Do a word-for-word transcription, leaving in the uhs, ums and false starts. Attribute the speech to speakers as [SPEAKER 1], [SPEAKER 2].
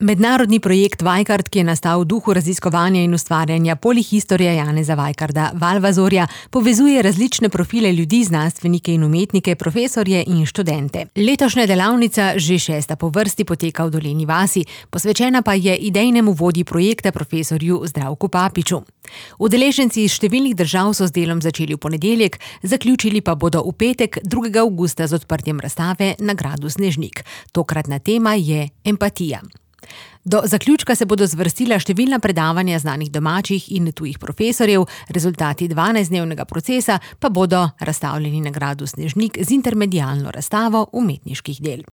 [SPEAKER 1] Mednarodni projekt Vajkard, ki je nastal v duhu raziskovanja in ustvarjanja polihistorija Janeza Vajkarda Valvazorja, povezuje različne profile ljudi, znanstvenike in umetnike, profesorje in študente. Letošnja delavnica, že šesta po vrsti, poteka v Dolenji vasi, posvečena pa je idejnemu vodji projekta profesorju Zdravku Papiču. Udeleženci iz številnih držav so z delom začeli v ponedeljek, zaključili pa bodo v petek, drugega avgusta, z odprtjem razstave na gradu Snežnik. Tokratna tema je empatija. Do zaključka se bodo zvrstila številna predavanja znanih domačih in tujih profesorjev, rezultati dvanajstdnevnega procesa pa bodo razstavljeni na gradu Snežnik z intermedialno razstavo umetniških del.